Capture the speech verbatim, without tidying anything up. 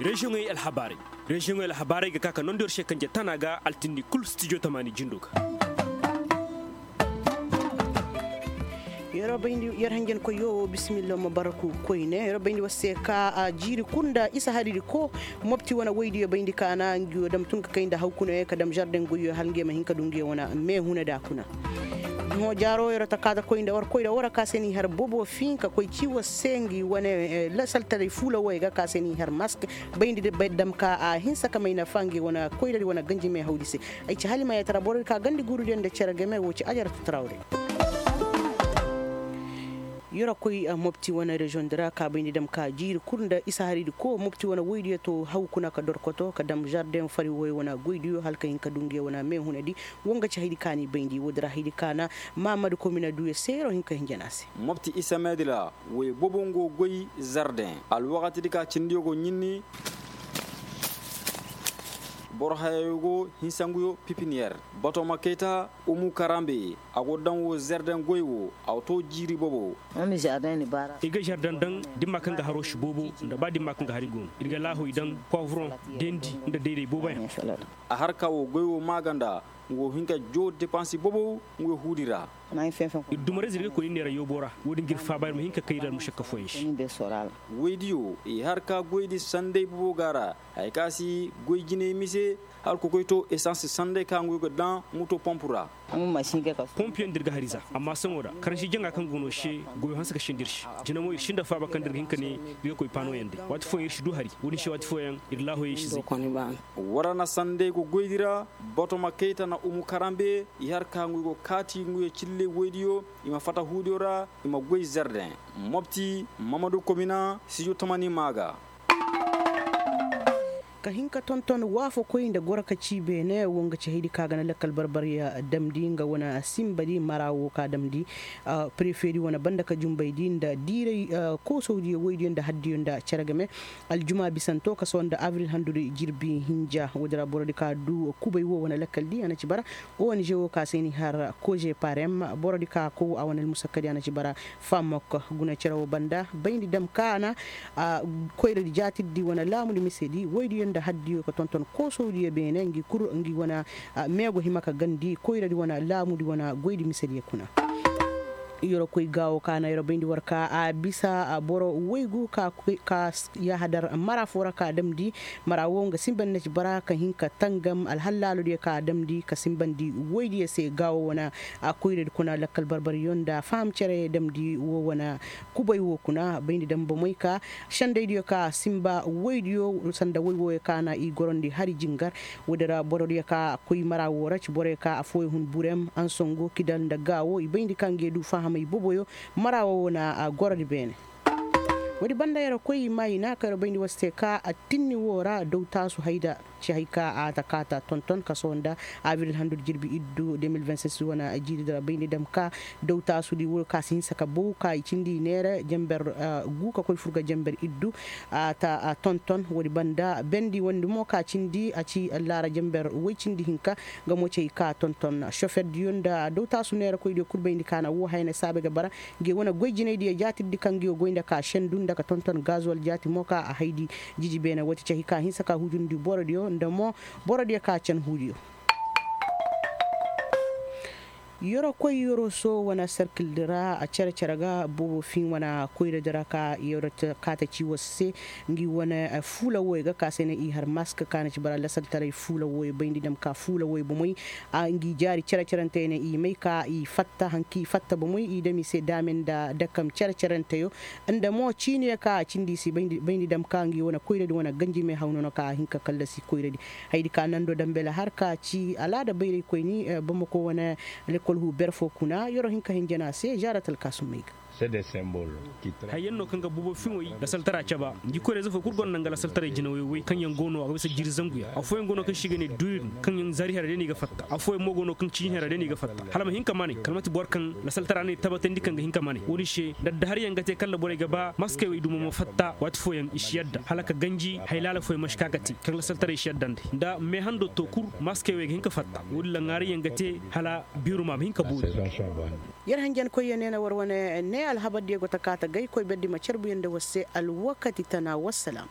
Reziyoŋey alhabaarey. Reziyoŋey alhabaarey ga ka ka nondi yer se kanje tana ga altinni kul stijo tamaani jindo ga. Yer bayndi yer hanjankoyyo wo bisimilla ma barku koyne yer bayndi war se ka jiiri kul nda isa hariri ko. Mopti wane woydiyo bayndi kaana ngiyo dam tun ka kay nda hawkunoyo ka dam zarden goyyo hala ngiyo ma hin ka du ngiyo wane meehuna da kuna. Hõ jaaro yer ta kaata koy nda war koy nda war ka se ni har bobo fin ka koy ci war se ngi wane lasaltaray fuula woyo ga ka se ni har mask. Bayndi de bay dam ka a hinsa ka may nafa ngi wane koyradi wane ganji me hawdi se. Ay ci halima yatara borodi ka gandi gurudiyo nda cere game wo ci ajarata tarawre. Yoro koy mopti wane reziyoŋ di ra ka bayndi dam ka jiiri kul nda isa haridi ko mopti wane woydiyo to haw kuna ka dorkoto ka dam zardeŋ fari woyo wane goydiyo hala ka hin ka du ngiyo wane meehunadi. Wo nga ci haydi ka ni bayndi woodi ra haydi ka na mahamadu komina duyo se yoro hin ka hinjana se. Mopti isa meedi ra woy bobo ngo goy zardeŋ alwakatidi ka cindiyo go ɲinni. Boro hayayo go hinsanguyo pipiniyer. Batoma kayta umu karambe a go daŋ wo zardeŋ goy wo a to jiiri bobo. I ga zardeŋ daŋ dimma kaŋ ga haro si boobo nda ba dimma kaŋ ga hari go no ir ga laahoy daŋ poivron dendi nda dayday boobo yaŋ. A har ka wo goy wo maaganda nga wo hin ka joo depansi boobo nga wo huudi ra. Ir dumarayze ir ga koy ni neera yoobo ra wo-din ga ir faaba ir ma hin ka kay ir almušakka fooyaŋ se. Woydiyo i har ka goydi sanday boobo ga ra. Haya ka si goy jinay mise hala kokoy to esans sanday ka nga wo ga daŋ muto pompu ra. Pompuyaŋ da ir ga har i za amma sohõ ra karansi jaŋa kaŋ go no se goyo hanse ka sinda ir se. Jina mo ir sinda faaba kaŋ da ir ga hin ka ne ir ga koy paanoyaŋ day waati fooyaŋ ir si du hari wo-din se waati fooyaŋ ir laahoyey si zay. War na sanday go goydi ra. Botoma kayta na umu karambe i har ka nguyo go kaati nguyo cille woydiyo i ma fata huudiyo ra. I ma goy zerden mopti mamadu komina sijo tamani maa ga. Ka hin ka tonton waafakoy nda goro ka ci beene wo nga ci haydi ka ga na lakkal barbariya damndi nga wane sinbadi mara wo ka damndi. Prefeedi wane banda ka junbaydi nda diiray koosowdiyo woydiyo nda haddiyo nda cere game. Aljuma bisanto ka sohõ nda abril handudi jirbi hinja woodi ra borodi ka du kubay wo wane lakkaldi a na ci bara. Ong wo ka se ni har koje parem borodi ka kow a wane almusakkadi a na ci bara. Famok guna cere wo banda bayndi dam ka na koyradi jaatirdi wane laamudi misedi woydiyo nda haddiyo ka tonton koosowdiyo beene ngi kul ngi wane meego hima ka gandi koyradi wane laamudi wane goydi misediyo kuna. Yoro koy gaawo ka na yoro bayndi war ka a bisa boro woygu ka yahadar mara fo ra ka damndi. Mara wo nga sinbandi na ci bara ka hin ka tangam alhallaalodiyo ka damndi ka sinbandi woydiyo se gaawo wane. Koyradi kuna lakkal barbariyo nda faham cere damndi wo wane kubay wo kuna bayndi dam bomey ka sendaydiyo ka sinba woydiyo sanda woy wooyo ka na i gorondi hari jingar. Woodi ra borodiyo ka koy mara wo ra ci boroyo ka affooyo hun burem ansongo kidal nda gaawo i bayndi ka nge du fahamey boboyo. Mara wo wo na gorodi beene. Woodi banda yara koy i maayina ka yara bayndi war se ka attinni wo ra dawtaasu hayda ci hay ka a ta kaata tonton ka sohõ nda abril handudi jirbi iddu de mil vingt-six wane jiiridi ra bayndi dam ka dawtaasudi wo ka si hinsa ka bow ka i cindi i neera jenber gu ka koy fur ga jenber iddu. A ta tonton woodi banda bendi wondi mo ka cindi a ci laara jenber woy cindi hinka. Nga mo ci hay ka tonton soferdiyo nda dawtaasu neerakoydiyo kul bayndi ka na wo haya na saabe ga bara. Nge wane goy jinaydiyo jaatirdi kaŋ ngiyo goy nda ka sendu nda ka tonton gazol jaati mo ka a haydi. Jiji beene woo ti cahi ka hinsa ka hujundi borodiyo nda mo borodiyo ka can huudiyo. Yoro koy yoro so wane serkildi ra a cere cere ga boobo fin wane koyradi ra ka yoro kaata ci war se. Ngi wane fuula wooyo ga ka se ne i har mask ka na ci bara lasaltaray fuula wooyo bayndi dam ka fuula wooyo bomey. Ngi jaari cere cerantey ne i may ka i fatta hanki i fatta bomey i dam i se daame nda dakam cere ceranteyo. Nda mo ciiniyo ka a cindi i se bayndi dam ka ngi wane koyradi wane ganjimey haw nono ka a hin ka kallasi koyradi. Hayadi ka nando dambela har ka ci alaada bayraykoyni bamako wane lekol huu ber foo kuna yer'o hin ka hinjan a se zaara talkaasumey ga. Hayyan no kaŋ ga buubo fiŋoy lasaltara caba ngi koyra ize fo kul gonda nga lasaltaray jinawey woy kaŋ yaŋ go no a ga bisa jiiri zanguyaŋ affooyaŋ go no kaŋ se i ga ne duurin kaŋ yaŋ zaari hera day no i ga fatta affooyaŋ mo go no kaŋ ciini hera day no i ga fatta hala ma hin ka manay kala manti boro kaŋ lasaltara no i tabatandi kaŋ ga hin ka manay wo- din se nda addaharyaŋ ga te kala nda borey ga ba maskey wey dumo ma fatta waati fooyaŋ i si yadda hala ka ganji hay laala fooyaŋ ma si ka ga te kaŋ lasaltaray si yadda nd'ey nda meehando to kul maskey wey ga hin ka fatta wo- din ra ŋaarayyaŋ ga te hala biiruma ma hin ka boori. Yer hanjankoyyaŋ ne na war wane ne alhabardiyo go ta kaa ta gay koy berdi ma carbuyaŋ nda war se alwakati tana wassalaam.